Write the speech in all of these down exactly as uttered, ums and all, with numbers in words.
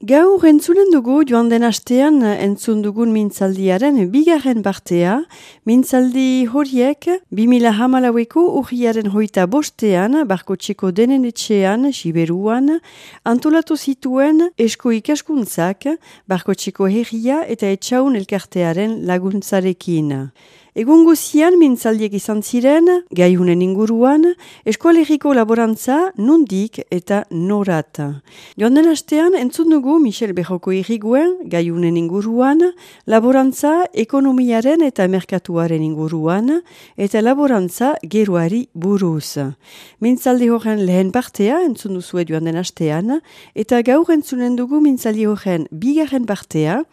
Gaur entzunen dugu joan den astean entzun dugun mintzaldiaren bigarren partea. Mintzaldi horiek bi mila hamalaueko urriaren hoita bostean, Barkotxeko denen etxean, Siberuan, antolatu zituen esko ikaskuntzak, Barkotxeko herria eta etxaun elkartearen laguntzarekin. Egun guzian mintzaldiek izan ziren, gaihunen inguruan, eskoaleriko laborantza nondik eta norat. Joan den astean entzun dugu Michel Berroko irriguen, gaihunen inguruan, laborantza ekonomiaren eta merkatuaren inguruan, eta laborantza geroari buruz. Mintzaldi horren lehen partea entzun duzue joan den astean, eta gaur entzunen dugu mintzaldi horren bigarren partea,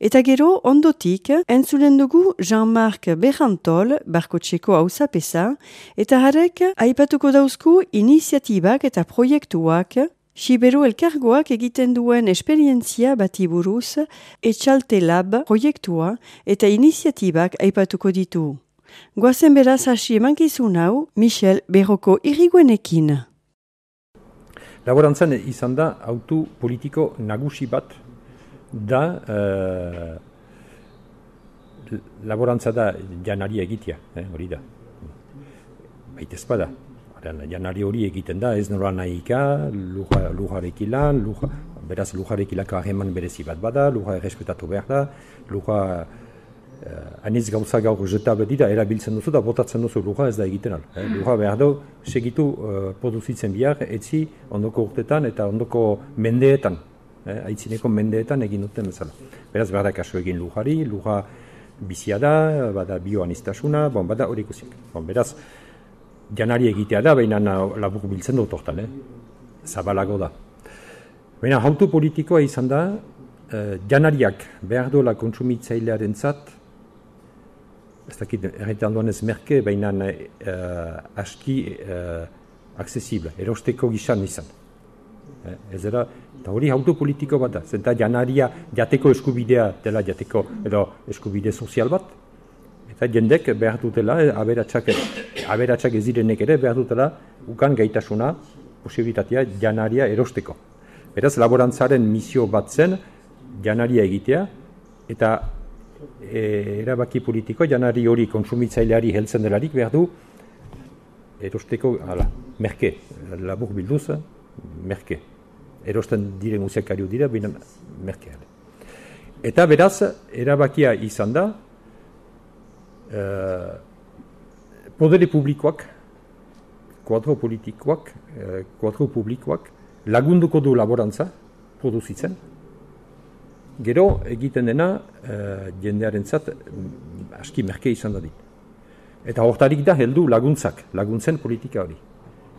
eta gero ondotik entzunen dugu Jean-Marc Berrantol, Barkotxeko auzapeza, eta harek aipatuko dauzku iniziatibak eta proiektuak, Siberu elkargoak egiten duen esperientzia bati buruz, Etxalte Lab proiektua eta iniziatibak aipatuko ditu. Goazen beraz hasi emankizun hau, Michel Berroko irriguenekin. Laborantzan izan da autu politiko nagusi bat da uh, laborantza da janari egitea, eh, hori da. Baitez bada. Janari hori egiten da, ez nola nahika, lujarekin lan, luja, beraz lujarekilako hageman berezi bat bada, luja errespetatu behar da, luja uh, anitz gauza gaur jetabe dira, erabiltzen duzu da, botatzen duzu luja ez da egiten al. Eh, luja behar du, segitu uh, produzitzen bihar, etzi ondoko urtetan eta ondoko mendeetan, eh, aitzineko mendeetan egin duten bezala. Beraz behar da kaso egin lujari, luja bizia da, bada bioanistasuna, bon, bada hori ikusiak. Bon, beraz, janari egitea da, baina labur biltzen dut hortan, eh? Zabalago da. Baina auto politikoa izan da, eh, janariak behar dola kontsumitzailearen zat, ez dakit erretan duan ez merke, baina eh, aski eh, aksesible, erosteko gizan izan. Eh, ez era, eta hori auto politiko bat da, zenta janaria jateko eskubidea dela jateko, edo eskubide sozial bat, eta jendek behar dutela, aberatsak, aberatsak ez direnek ere behar dutela ukan gaitasuna, posibilitatea janaria erosteko. Beraz, laborantzaren misio bat zen janaria egitea, eta e, erabaki politiko janari hori kontsumitzaileari heltzen delarik behar du erosteko, hala, merke, labur bilduz, merke. Erosten diren uziakariu dira, baina merke. Eta beraz, erabakia izan da, Uh, podere publikoak, kuadro politikoak, uh, kuadro publikoak lagunduko du laborantza produzitzen. Gero egiten dena uh, jendearentzat aski merke izan da dit. Eta hortarik da heldu laguntzak, laguntzen politika hori.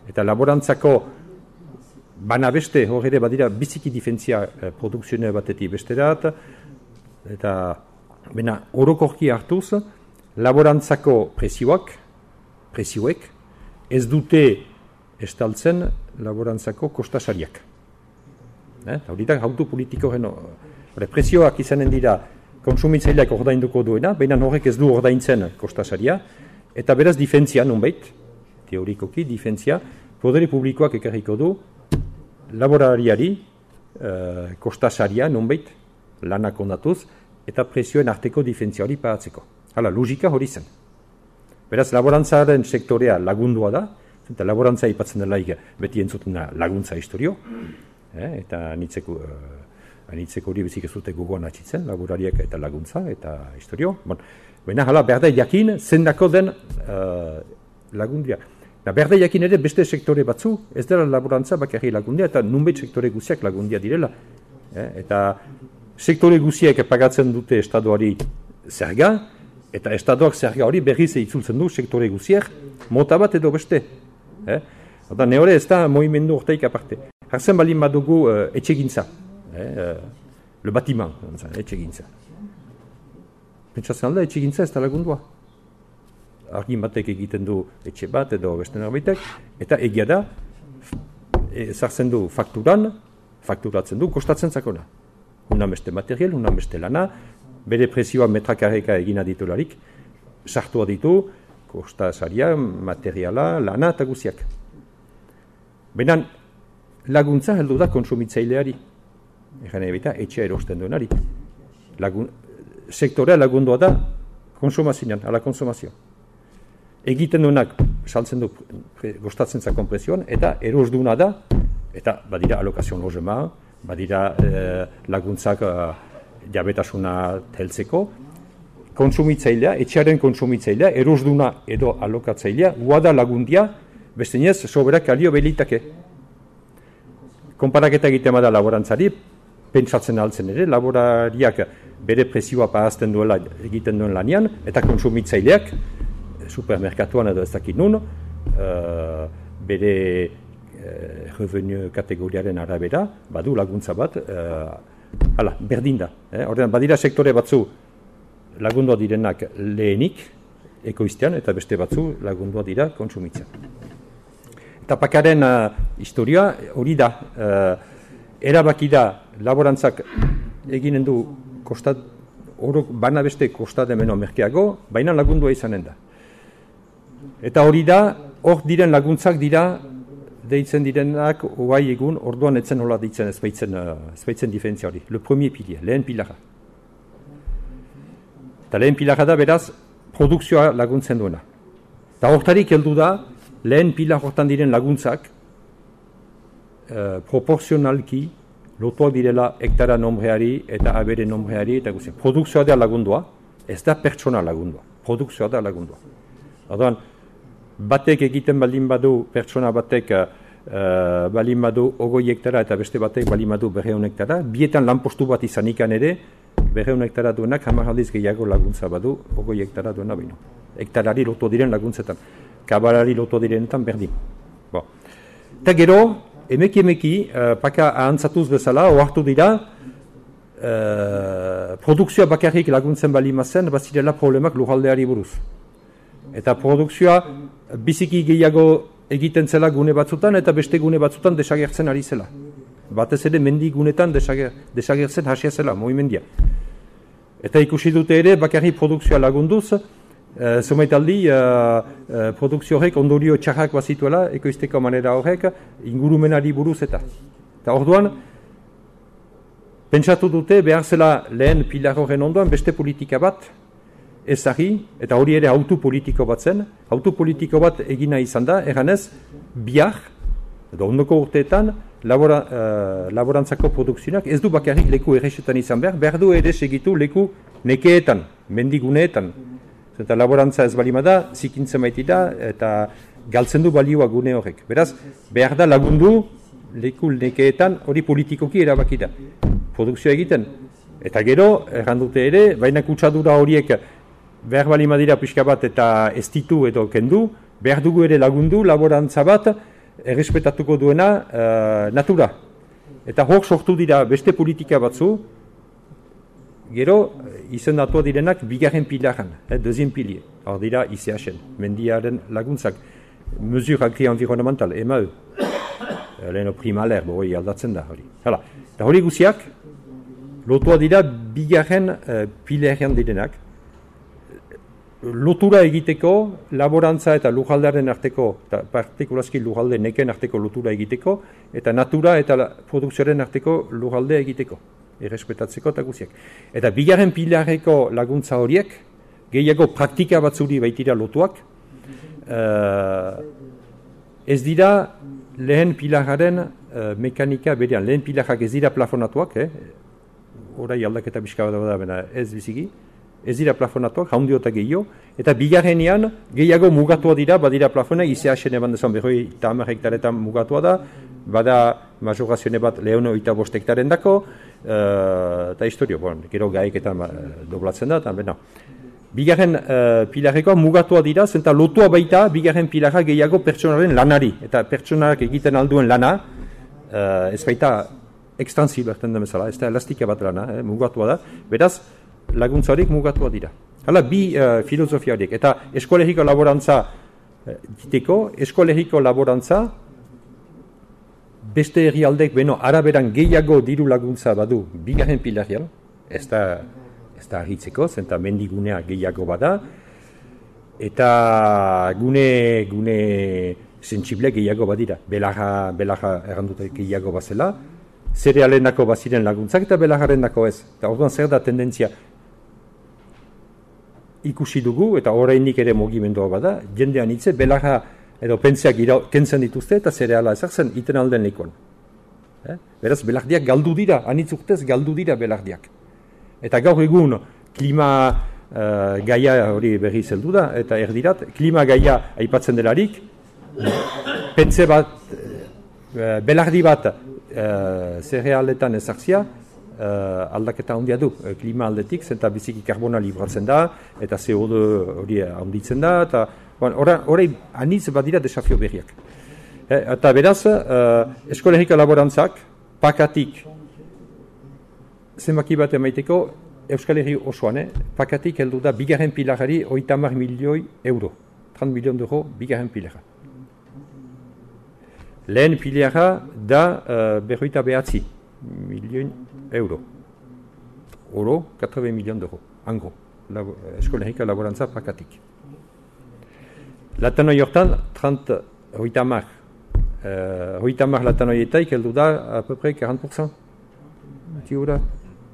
Eta laborantzako bana beste hor ere badira biziki difentzia uh, produkzioa batetik besterat, eta bena orokorki hartuz, laborantzako prezioak, prezioek, ez dute estaltzen laborantzako kostasariak. Eh? Hori da, auto politikoren prezioak izanen dira konsumitzaileak ordainduko duena, baina horrek ez du ordaintzen kostasaria, eta beraz difentzia nonbait, teorikoki difentzia, podere publikoak ekarriko du laborariari eh, kostasaria nonbait, lanak ondatuz, eta prezioen arteko difentzia hori paratzeko. Hala, logika hori zen. Beraz, laborantzaren sektorea lagundua da, eta laborantza ipatzen delaik beti entzutena laguntza historio, eh, eta anitzeko, uh, anitzeko hori bezik ez dute gogoan atxitzen, laborariak eta laguntza eta historio. Bon, baina, hala, berde jakin, zendako den uh, lagundia. Na, berde jakin ere beste sektore batzu, ez dela laborantza bakarri lagundia, eta nunbait sektore guziak lagundia direla. Eh, eta sektore guziak pagatzen dute estadoari zerga, eta estadoak zerga hori berriz itzultzen du sektore guziak, mota bat edo beste. Eh? Eta neore ez da movimendu ortaik aparte. Hartzen balin badugu uh, etxegintza. Eh? Uh, le batiman, etxegintza. Pentsatzen alda, etxegintza ez da lagundua. Argin batek egiten du etxe bat edo beste norbaitek, eta egia da, ezartzen du fakturan, fakturatzen du, kostatzen zakona. Unan beste material, unan beste lana, bere prezioa metrakarreka egina ditularik, sartua ditu, kostasaria, materiala, lana eta guziak. Baina laguntza heldu da konsumitzaileari. Egan ebita, etxea erosten duenari. Lagun, sektorea lagundua da konsumazioan, ala konsumazio. Egiten duenak, saltzen du, gostatzen zakon prezioan, eta eros duena da, eta badira alokazion logema, badira eh, laguntzak eh, jabetasuna heltzeko, konsumitzailea, etxearen konsumitzailea, eros duena edo alokatzailea, guada lagundia, bestenez, soberak alio belitake. Konparaketa egiten bada laborantzari, pentsatzen altzen ere, laborariak bere prezioa pahazten duela egiten duen lanian, eta konsumitzaileak, supermerkatuan edo ez dakit nun, uh, bere uh, revenu kategoriaren arabera, badu laguntza bat, uh, hala, berdin da. Eh? Horren, badira sektore batzu lagundua direnak lehenik, ekoiztean, eta beste batzu lagundua dira konsumitzean. Eta pakaren uh, historia hori da, uh, erabaki da laborantzak eginen du kostat, orok bana beste kostat emeno merkeago, baina lagundua izanen da. Eta hori da, hor diren laguntzak dira, deitzen direnak, oai egun, orduan etzen hola deitzen ezbaitzen, uh, ezbaitzen diferentzia hori. Le premier pilier, lehen pilarra. Eta lehen pilarra da, beraz, produkzioa laguntzen duena. Eta hortarik heldu da, lehen pilar hortan diren laguntzak eh, proporzionalki lotuak direla hektara nombreari eta abere nombreari eta guzti. Produkzioa da lagundua, ez da pertsona lagundua. Produkzioa da lagundua. Orduan, batek egiten baldin badu, pertsona batek uh, baldin badu ogoi hektara eta beste batek baldin badu berreun hektara, bietan lanpostu bat izanikan ere, berreun hektara duenak hamar aldiz gehiago laguntza badu ogoi hektara duena baino. Hektarari lotu diren laguntzetan. Kabalari lotu direnetan berdin. Bo. Eta gero, emeki emeki, uh, paka ahantzatuz bezala, ohartu dira, uh, produkzioa bakarrik laguntzen bali mazen, bazirela problemak lujaldeari buruz. Eta produkzioa biziki gehiago egiten zela gune batzutan, eta beste gune batzutan desagertzen ari zela. Batez ere mendi gunetan desager, desagertzen hasia zela, movimendia. Eta ikusi dute ere, bakarrik produkzioa lagunduz, Uh, Zomaitaldi, uh, uh, produkzio horrek ondorio txarrak bazituela, ekoizteko manera horrek, ingurumenari buruz eta. Eta orduan, pentsatu dute behar zela lehen pilar horren ondoan beste politika bat ezagri, eta hori ere autu politiko bat zen, autu politiko bat egina izan da, erganez, bihar, edo ondoko urteetan, labora, uh, laborantzako produkzioak ez du bakarrik leku erresetan izan behar, behar du ere segitu leku nekeetan, mendiguneetan. Eta laborantza ez balima da, zikintzen baitira, eta galtzen du balioa gune horrek. Beraz, behar da lagundu leku nekeetan hori politikoki erabaki da. Produkzioa egiten. Eta gero, errandute ere, baina kutsadura horiek behar balima dira pixka bat eta ez ditu edo kendu, behar dugu ere lagundu laborantza bat errespetatuko duena uh, natura. Eta hor sortu dira beste politika batzu, gero, izendatua direnak bigarren pilaran, eh, deuxième pilier. Hor dira I C H-en, mendiaren laguntzak, mesure agri-environnemental, E M A E. Leheno primaler, hori aldatzen da hori. Hala, eta hori guziak, lotua dira bigarren uh, pilarean direnak, lotura egiteko, laborantza eta lujaldearen arteko, eta partikulazki lujalde neken arteko lotura egiteko, eta natura eta produkzioaren arteko lujalde egiteko. Errespetatzeko eta guziak. Eta bigarren pilarreko laguntza horiek, gehiago praktika batzuri baitira lotuak, uh, ez dira lehen pilarraren uh, mekanika berean. Lehen pilarrak ez dira plafonatuak, eh? Horai aldaketa bizka bat da, ez biziki, ez dira plafonatuak, jaundiota gehiago, eta bigarrenean gehiago mugatua dira, badira plafona, I C H-en eban dezan berroi eta hamar hektaretan mugatua da, bada majorazione bat lehono eta bost hektaren dako, uh, eta historio, bon, gero gaiketan uh, doblatzen da, eta bena. Bigarren uh, pilarrekoa mugatua dira, zenta lotua baita bigarren pilarra gehiago pertsonaren lanari, eta pertsonak egiten alduen lana, uh, ez baita ekstansib erten da bezala, ez da elastika bat lana, eh, mugatua da, beraz, laguntza horiek mugatua dira. Hala, bi uh, filosofia horiek, eta eskolegiko laborantza uh, diteko, eskolegiko laborantza, beste herrialdek beno araberan gehiago diru laguntza badu bigarren pilarian, ez da, ez da ahitzeko, zenta mendigunea gehiago bada, eta gune, gune sentsible gehiago badira. Belarra, belarra errandute gehiago bazela, zerealenako baziren laguntzak eta belargarendako ez. Eta orduan zer da tendentzia ikusi dugu, eta orainik ere mugimendua bada, jendean hitze belarra edo pentseak kentzen dituzte eta zereala ezartzen iten alden lekuan. Eh? Beraz, belardiak galdu dira, anitz urtez galdu dira belardiak. Eta gaur egun klima uh, gaia hori berri zeldu da, eta erdirat, klima gaia aipatzen delarik, pentse bat, uh, belardi bat uh, zerealetan ezartzia, uh, aldaketa handia du, uh, klima aldetik, zenta biziki karbona libratzen da, eta C O deux hori handitzen da, eta horrei anitz badira desafio berriak. Eh, eta beraz, uh, eskolegika laborantzak, pakatik, zenbaki bat emaiteko, Euskal Herri osoan, eh? Pakatik heldu da bigarren pilarari hogeita hamar milioi euro. trenta milion euro bigarren pilara. Lehen pilara da uh, berroita behatzi milioi euro. Oro, katreven milion euro. Angro, labo, Euskal Herriko laborantza pakatik. Latanoi hortan, trenta, hogeita hamar. Hogeita hamar latanoietaik heldu da a peu près quarante pour cent. Tiura,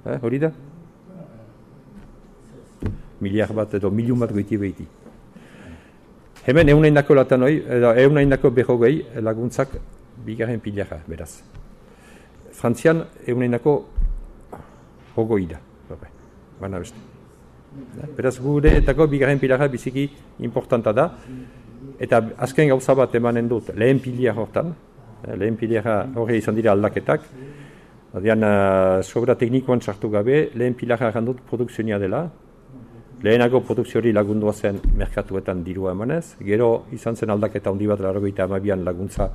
eh, hori da? Miliar bat edo miliun bat goiti behiti. Hemen eunaindako latanoi, edo eunaindako berrogei laguntzak bigarren pilara, beraz. Frantzian eunaindako hogoi da, bana beste. Beraz gure etako bigarren pilara biziki importanta da. Eta azken gauza bat emanen dut, lehen pilar hortan, lehen pilara horre izan dira aldaketak, Adian, uh, sobra teknikoan sartu gabe, lehen pilara errandut produkzionia dela, lehenago produkziori lagundua zen merkatuetan dirua emanez, gero izan zen aldaketa handi bat laurogeita hamabian laguntza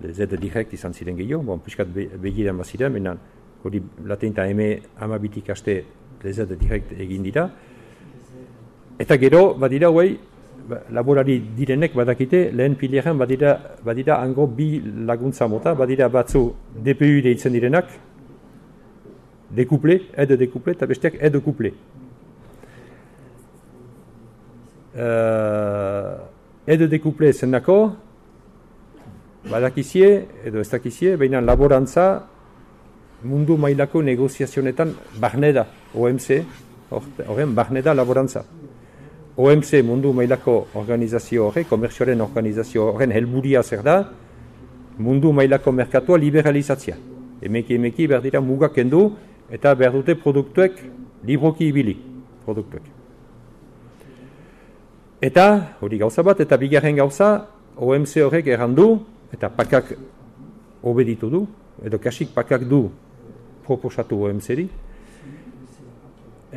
lezete direkt izan ziren gehiago, bon, piskat begiren baziren, menan hori latenta eme hamabitik aste lezete direkt egin dira, eta gero, badira huei, laborari direnek badakite, lehen pileran badira, badira hango bi laguntza mota, badira batzu D P U deitzen direnak, dekuple, aide dekuple, eta besteak aide kuple. Uh, aide dekuple zenako, badakizie, edo ez dakizie, baina laborantza mundu mailako negoziazionetan barne da, O M C, horren barne da laborantza. O M C mundu mailako organizazio horre, komerzioaren organizazio horren helburia zer da, mundu mailako merkatua liberalizatzia. Emeki emeki behar dira mugak kendu eta behar dute produktuek libroki ibili produktuek. Eta, hori gauza bat, eta bigarren gauza, O M C horrek errandu, eta pakak obeditu du, edo kasik pakak du proposatu O M C-ri,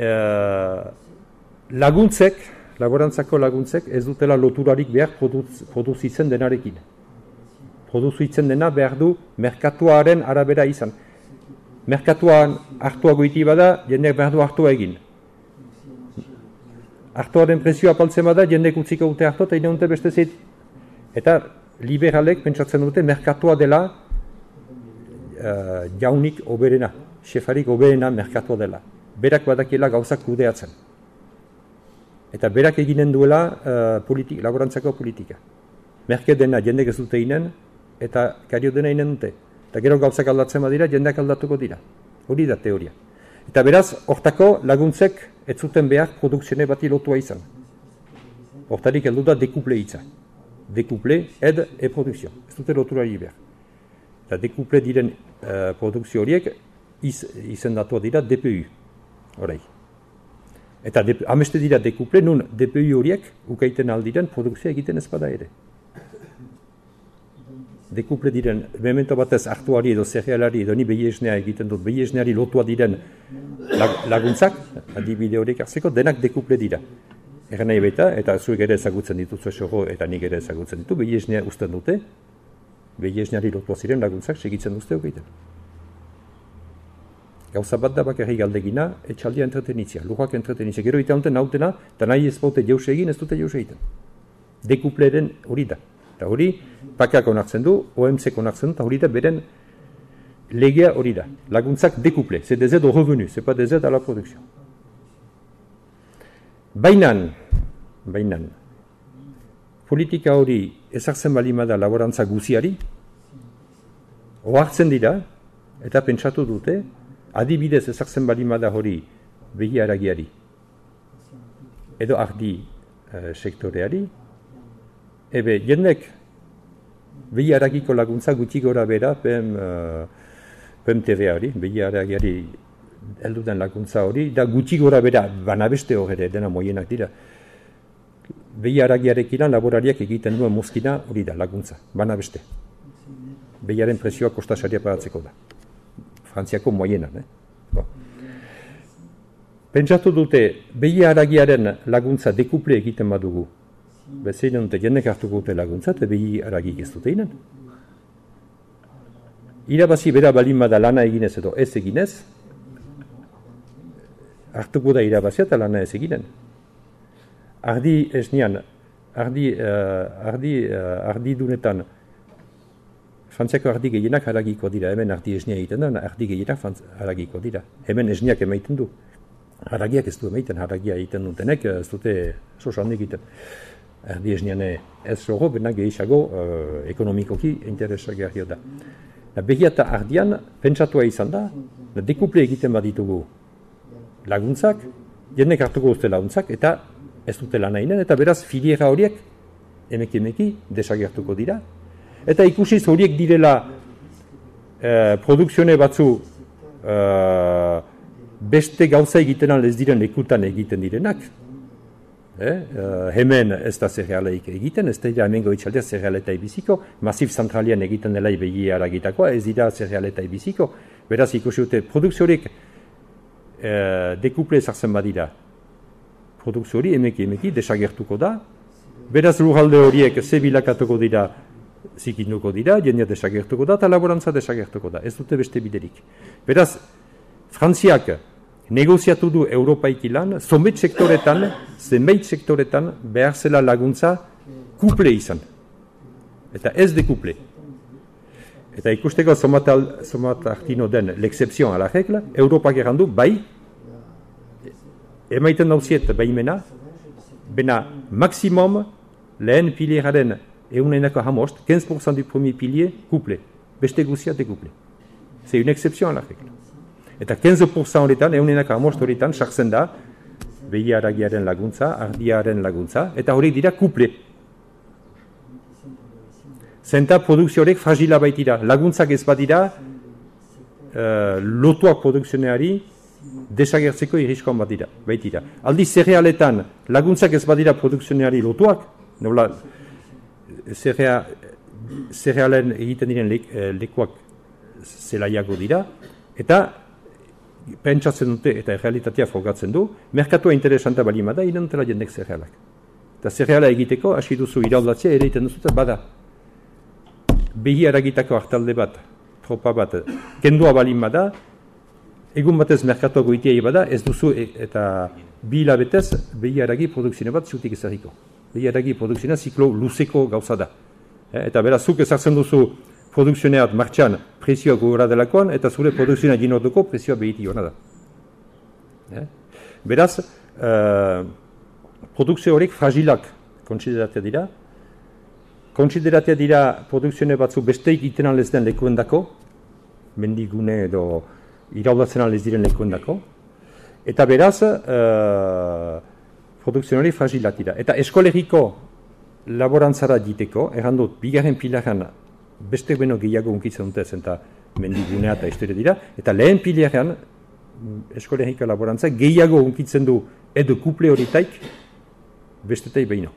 uh, laguntzek, laborantzako laguntzek ez dutela loturarik behar produz, produzitzen denarekin. Produzitzen dena behar du merkatuaren arabera izan. Merkatuan hartua goiti bada, jendeak behar du hartua egin. Hartuaren prezioa apaltzen bada, jendek utziko dute hartu eta ine beste zit. Eta liberalek pentsatzen dute merkatua dela uh, jaunik oberena, xefarik oberena merkatua dela. Berak badakiela gauzak kudeatzen. Eta berak eginen duela uh, politik, laborantzako politika. Merke dena jendek ez dute inen, eta kario dena inen dute. Eta gero gauzak aldatzen badira, jendeak aldatuko dira. Hori da teoria. Eta beraz, hortako laguntzek ez zuten behar produkzione bati lotua izan. Hortarik heldu da dekuple hitza. Dekuple, ed e produkzio. Ez dute loturari behar. Eta dekuple diren uh, produkzio horiek iz, izendatua dira D P U. Horai. Eta ameste dira dekuple, nun D P U horiek ukaiten aldiren produkzioa egiten ez bada ere. Dekuple diren, memento batez hartuari edo zerealari edo ni behiesnea egiten dut, behiesneari lotua diren laguntzak, adibide horiek hartzeko, denak dekuple dira. Egan nahi baita, eta zuek ere ezagutzen dituzu esoro, eta nik ere ezagutzen ditu, behiesnea usten dute, behiesneari lotua ziren laguntzak segitzen duzte hogeiten. Gauza bat da bakarrik galdegina, etxaldia entretenitzia, lujak entretenitzia. Gero eta honten nautena, eta nahi ez baute jauz egin, ez dute jauz egiten. Dekupleren hori da. Eta hori, pakak onartzen du, O M C onartzen du, eta hori da beren legea hori da. Laguntzak dekuple, c'est des aides au revenu, c'est pas des aides à la production. Bainan, bainan, politika hori ezartzen balimada laborantza guziari, ohartzen dira, eta pentsatu dute, adibidez ezartzen balimada hori behi haragiari, edo ardi uh, sektoreari, ebe jendek behi haragiko laguntza gutxi gora bera P M, uh, P M T V hori, behi haragiari heldu den laguntza hori, da gutxi gora bera banabeste hori dena moienak dira. Behi haragiarekin laborariak egiten duen mozkina hori da laguntza, banabeste. Behiaren presioa kostasaria pagatzeko da. Frantziako moienan. Eh? Bo. Pentsatu dute, behi haragiaren laguntza dekuple egiten badugu. Bezein dute jendek hartuko dute laguntza, eta behi haragik ez dute inen. Irabazi bera balin bada lana eginez edo ez eginez, hartuko da irabazia eta lana ez eginen. Ardi esnean, ardi, uh, ardi, uh, ardi dunetan, Frantziako ardi gehienak haragiko dira, hemen ardi esnea egiten da, ardi gehienak haragiko dira. Hemen esneak emaiten du. Haragiak ez du emaiten, haragia egiten dutenek, ez dute sosan egiten. Ardi esnean ez zogo, benak gehiago uh, ekonomikoki interesagarria da. Behi eta ardian, pentsatua izan da, dekuple egiten baditugu laguntzak, jendek hartuko dute laguntzak, eta ez dute lan hainen, eta beraz filiera horiek emeki emeki desagertuko dira. Eta ikusiz horiek direla eh, produkzione batzu eh, beste gauza egiten alez diren lekutan egiten direnak. Eh? Eh, hemen ez da zerealeik egiten, ez da hemen goitzaldea zerealetai biziko, masif zentralian egiten dela behi haragitakoa, ez dira zerealetai biziko. Beraz ikusi dute produkzio horiek eh, dekuple ezartzen badira. Produkzio hori emeki emeki desagertuko da. Beraz lurralde horiek ze bilakatuko dira, zikinduko dira, jendea desagertuko da, eta laborantza desagertuko da. Ez dute beste biderik. Beraz, Frantziak negoziatu du Europaik ilan, zenbait sektoretan, zenbait sektoretan behar zela laguntza kuple izan. Eta ez de kuple. Eta ikusteko zomat hartino den l'exception a la regla, Europak errandu, bai, emaiten dauziet baimena, bena maksimum lehen pilieraren eunenako hamost, quinze pour cent du premier pilier, couple. Beste guzia de couple. C'est une exception à la règle. Eta quinze pour cent horretan, eunenako hamost horretan, sartzen da, behi haragiaren laguntza, ardiaren laguntza, eta horiek dira couple. Zenta produkzio horiek fragila baitira. Laguntzak ez badira, uh, lotuak produkzioneari, desagertzeko irriskoan bat dira, baitira. Aldi zerealetan laguntzak ez badira produkzioneari lotuak, nola zerea, zerealen egiten diren le, lekuak zelaiago dira, eta pentsatzen dute eta realitatea frogatzen du, merkatua interesanta balima da, inantela jendek zerealak. Eta zereala egiteko, hasi duzu iraudatzea ere egiten duzu, eta bada, behi haragitako hartalde bat, tropa bat, kendua balima da, egun batez merkatuak goitiai bada, ez duzu e, eta bi hilabetez behi haragi produkzione bat zutik ezarriko. Behi haragi produkzionea ziklo luzeko gauza da. E, eta beraz, zuk ezartzen duzu produkzioneat martxan presioa gogora delakoan, eta zure produkzionea ginorduko presioa behiti hona da. E? Beraz, uh, produkzio horiek fragilak kontsideratea dira. Kontsideratea dira produkzione batzu besteik iten alez den lekuendako, mendigune edo iraudatzen alez diren lekuendako, eta beraz, uh, produkzionari fragilak dira. Eta eskolegiko laborantzara diteko, errandut, bigarren pilaran beste beno gehiago unkitzen dute zenta mendigunea eta historia dira, eta lehen pilaran eskolegiko laborantza gehiago unkitzen du edo kuple horitaik bestetai behino.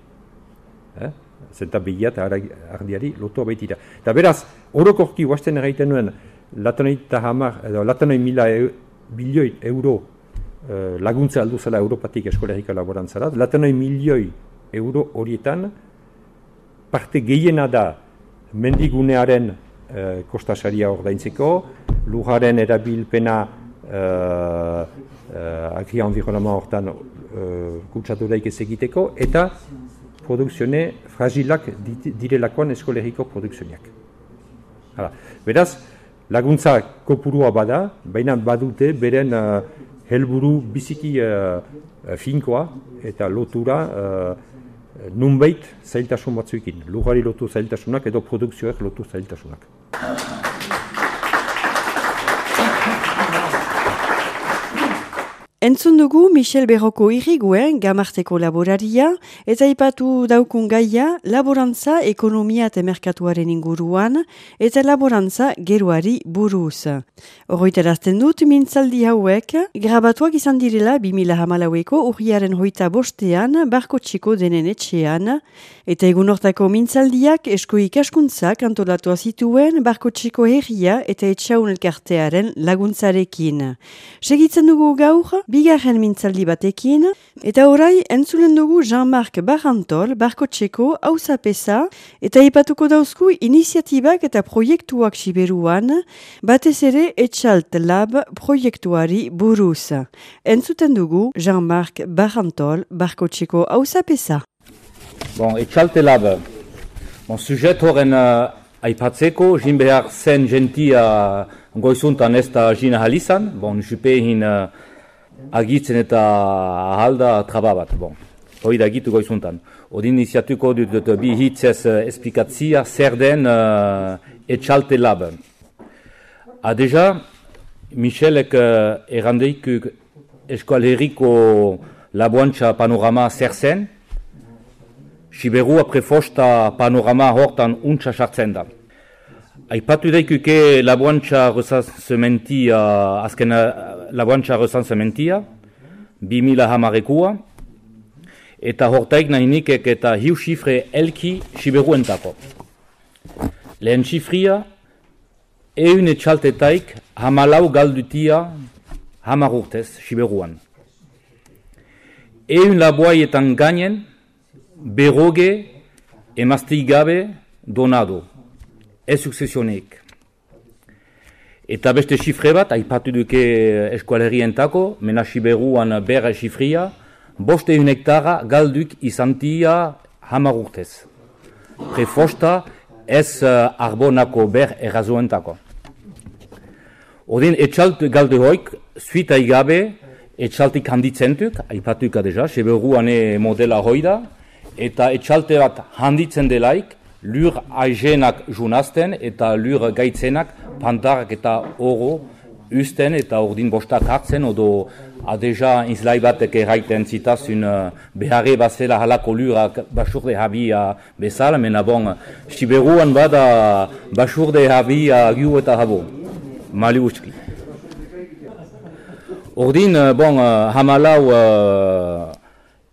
Eh? Zenta behia eta ardiari lotua baitira. Eta beraz, orokorki huasten erraiten nuen, Latanoi hamar, edo latanoi mila e, bilioi euro e, laguntza aldu zela Europatik eskolegiko laborantzara, latanoi milioi euro horietan parte gehiena da mendigunearen e, kostasaria ordaintzeko, lujaren erabilpena e, e, agri-environnement hortan e, kutsaturaik ez egiteko, eta produkzione fragilak direlakoan eskolegiko produkzioniak. Hala, beraz, laguntza kopurua bada, baina badute beren uh, helburu biziki uh, finkoa eta lotura uh, nunbait zailtasun batzuekin. Lugari lotu zailtasunak edo produkzioek lotu zailtasunak. Entzun dugu Michel Berroko irriguen gamarteko laboraria eta ipatu daukun gaia laborantza ekonomia eta merkatuaren inguruan eta laborantza geroari buruz. Horroiterazten dut mintzaldi hauek grabatuak izan direla bi mila hamalaueko urriaren hoita bostean Barkotxeko denen etxean eta egun hortako mintzaldiak esko ikaskuntzak antolatua zituen Barkotxeko herria eta etxaun elkartearen laguntzarekin. Segitzen dugu gaur bigarren mintzaldi batekin, eta orai entzulen dugu Jean-Marc Barantol, Barkotxeko hauzapeza, eta ipatuko dauzku iniziatibak eta proiektuak siberuan, batez ere Etxalt Lab proiektuari buruz. Entzuten dugu Jean-Marc Barantol, Barkotxeko hauzapeza. Bon, Etxalt Lab, bon, sujet horren uh, aipatzeko, jin behar zen gentia goizuntan ez da jina halizan, bon, jupehin uh, agitzen eta ahalda traba bat, bon. Hoi da gitu goizuntan. Odin iniziatuko dut, dut bi hitzez uh, esplikatzia zer den uh, Etxalt Lab. A deja, Michelek uh, errandeik Eskual Herriko laboantxa panorama zer zen, Siberua prefosta panorama hortan untsa sartzen da. Aipatu daikuke laboantxa resansementia, azken laboantxa resansementia, bi mila hamarekua, eta hortaik nahi nikek eta hiu xifre elki Siberuentako. Lehen xifria, eun etxaltetaik hamalau galdutia hamar urtez Siberuan. Eun laboaietan gainen, berroge emazteik gabe donado. Ez suksesionek. Eta beste xifre bat, aipatu duke eskualerientako, mena Siberuan berra xifria, boste un hektara galduk izantia hamar urtez. Prefosta ez uh, arbonako ber errazoentako. Odin etxalt galde hoik, suita igabe, etxaltik handitzentuk, aipatuka deja, Siberuan modela hoida, eta etxalte bat handitzen delaik, lur aizenak junazten eta lur gaitzenak pantarak eta oro usten eta ordin bostak hartzen, odo adeja izlai batek erraiten zitazun uh, beharre bazela halako lurak basurde habia bezala, mena bon, Siberuan bada basurde habia giu eta habo, mali uski. Ordin, bon, uh, hamalau uh,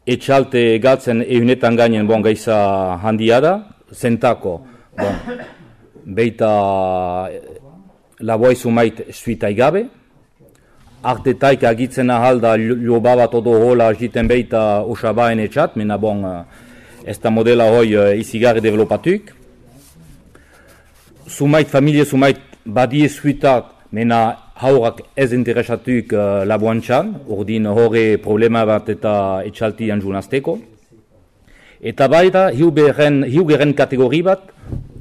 etxalte galtzen eunetan gainen bon gaiza handia da, zentako, bon, beita laboai sumait suita igabe, artetaik agitzen ahalda liobabat odo hola jiten beita osabaen etxat, mena bon, ez da modela hoi izigarri developatuk. Sumait, familie sumait badie suitak, mena haurak ez interesatuk uh, laboantxan, ordin horre problema bat eta etxaltian junazteko. Eta baita, hiugeren kategori bat,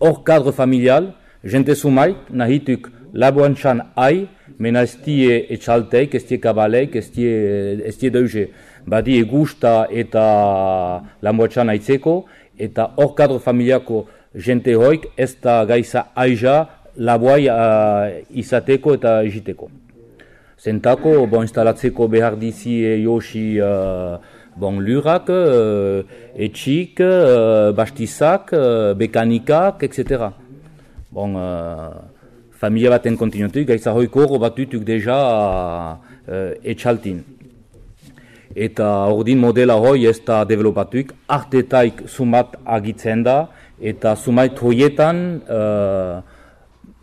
hor kadre familial, jente sumait, nahituk laboantxan ai, mena ez die etxalteik, ez die kabaleik, ez die deuze. Badi egusta eta laboantxan aitzeko, eta hor kadre familiako jente hoik, ez da gaiza aiza, laboai uh, izateko eta egiteko. Zentako, bon, instalatzeko behar dizi josi uh, bon, lurak, uh, etxik, uh, bastizak, uh, bekanikak, et cetera. Bon, uh, familia baten kontinuatuk, gaiza hoiko hor batutuk deja uh, etxaltin. Eta ordin modela hoi ez da developatuk, artetaik sumat agitzen da, eta sumait hoietan uh,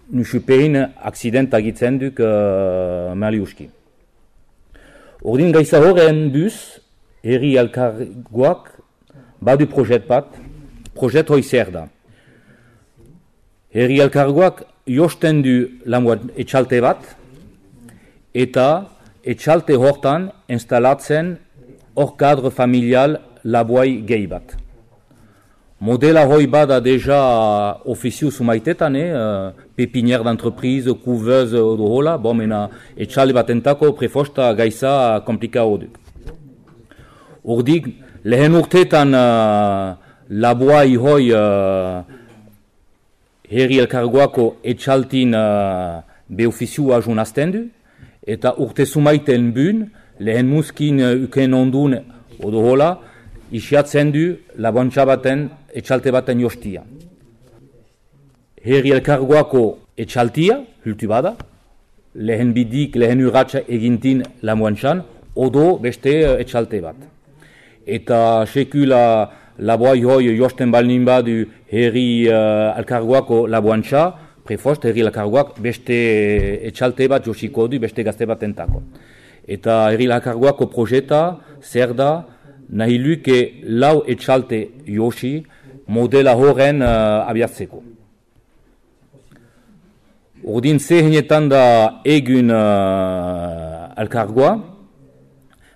nusupein aksident agitzen duk uh, maliuski. Ordin gaiza horren duz, herri elkargoak badu projet bat, projet hoi zer da. Herri elkargoak josten du lamuat etxalte bat, eta etxalte hortan instalatzen hor kadre familial laboai gehi bat. Modela hoi bada deja ofizio sumaitetan, eh? Pepinière d'entreprise, couveuse, odo hola, bon, mena etxalde batentako prefosta gaiza komplika hoduk. Ordik, lehen urtetan uh, laboai hoi uh, herri elkargoako etxaltin uh, be ofizioa junazten du, eta urte sumaiten bun, lehen muskin uken ondun odo hola, isiatzen du laboantxa baten, etxalte baten jostia. Herri elkargoako etxaltia, hultu bada, lehen bidik, lehen urratxa egintin laboantxan, odo beste etxalte bat. Eta sekula laboai hoi josten balnin badu herri uh, elkargoako laboantxa, prefost herri elkargoak beste etxalte bat josiko du, beste gazte bat entako. Eta herri elkargoako projeta, zer da, nahi luke lau etxalte josi modela horren uh, abiatzeko. Ordin zehenetan da egun uh, elkargoa,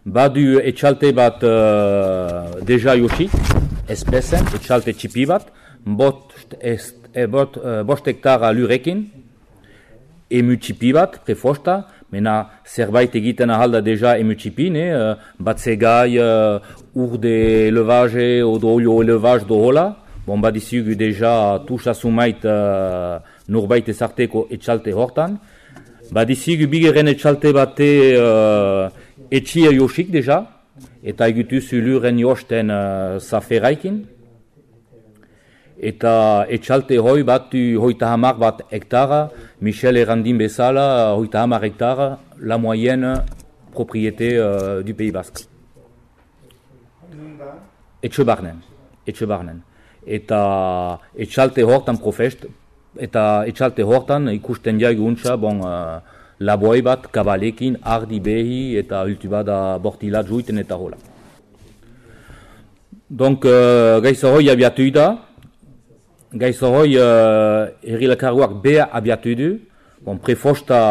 badu etxalte bat uh, deja josi, espezen, etxalte txipi bat, bot, est, e, bot, uh, bost hektara lurekin, emu txipi bat, prefosta, mena zerbait egiten ahalda deja emu txipi, ne? Uh, batzegai, uh, urde elevage, odo olio elevage do hola, bon badizugu deja tuxa sumait uh, norbait ezarteko etxalte hortan, badizugu bigeren etxalte bate uh, etxia josik deja, eta egutuzu luren josten uh, zaferaikin, eta etxalte hoi bat hoita hamar bat hektara, Michel errandin bezala, hoita hamar hektara, la moyenne propriété uh, du Pays Basque. Etxe barnen, etxe barnen. Eta etxalte hortan profest, eta etxalte hortan ikusten jaigu untsa, bon, uh, laboi bat kabalekin, ardi behi eta ultu bada bortilat juiten eta hola. Donc, uh, gaiza hoi abiatu da, gaiza hoi uh, herri elkargoak beha abiatu du, bon, prefosta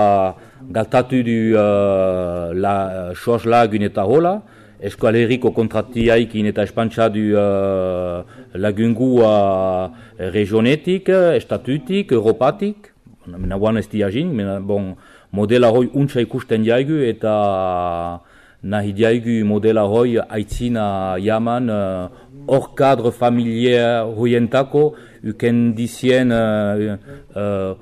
galtatu du uh, la soz lagun eta hola, Eskual herriko kontratiaikin eta espantxa du uh, lagungua regionetik, estatutik, europatik, nagoan ez diagin, bon, modela hoi untsa ikusten jaigu eta nahi jaigu modela hoi aitzina jaman hor uh, kadre familiar hoientako uken dizien uh, uh,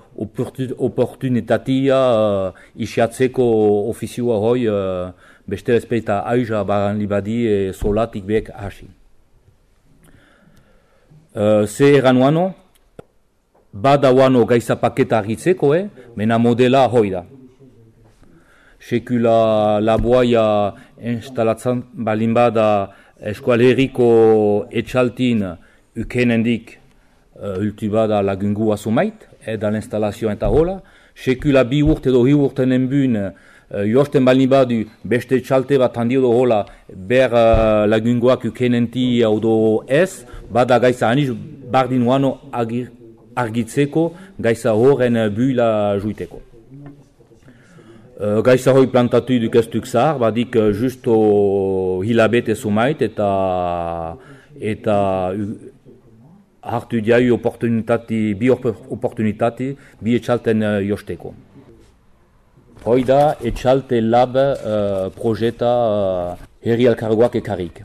oportunitatea uh, isiatzeko ofizioa hoi uh, beste respeta aiza baran libadi e solatik bek hasi. Uh, ze eran wano, bada wano gaiza paketa argitzeko, eh? Mena modela hoi da. Sekula laboaia instalatzen balin bada eskual herriko etxaltin ukenendik uh, ultu bada lagungu asumait, edan instalazioa eta hola. Sekula bi urte edo hi urte nenbun Uh, josten balin badu beste txalte bat handi odo hola ber uh, lagungoak ukenenti odo ez, bada gaiza aniz bardin wano argitzeko gaiza horren buila juiteko. Uh, gaiza hoi plantatu duk ez duk zahar, badik uh, justo hilabete sumait eta eta uh, hartu diai oportunitati, bi oportunitati, bi etxalten uh, josteko. Hoi da, etxalte lab uh, projeta uh, herri elkargoak ekarrik.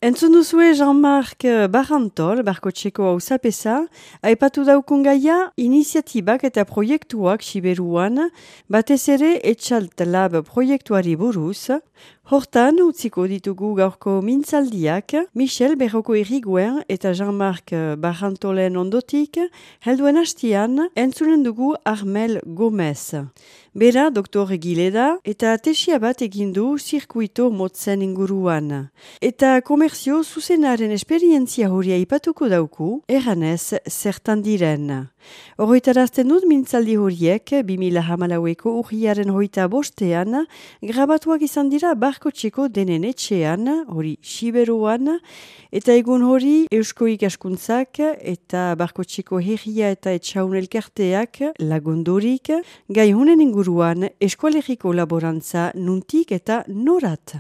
Entzun duzue Jean-Marc Barrantol, Barkotxeko hauzapeza, aipatu daukun gaia iniziatibak eta proiektuak Siberuan, batez ere etxalt lab proiektuari buruz. Hortan, utziko ditugu gaurko mintzaldiak, Michel Berroko Irriguen eta Jean-Marc Barrantolen ondotik, helduen hastian, entzunen dugu Armel Gomez. Bera, doktor Gileda, eta tesia bat egindu zirkuito motzen inguruan. Eta komerzio zuzenaren esperientzia horia ipatuko dauku, erranez zertan diren. Horretarazten dut mintzaldi horiek, bi mila hamalaueko urriaren hoita bostean, grabatuak izan dira Barkotxeko denen etxean, hori Siberuan, eta egun hori Eusko Ikaskuntzak eta Barkotxeko herria eta etxaun elkarteak lagundurik, gai honen inguruan eskualeriko laborantza nuntik eta norat.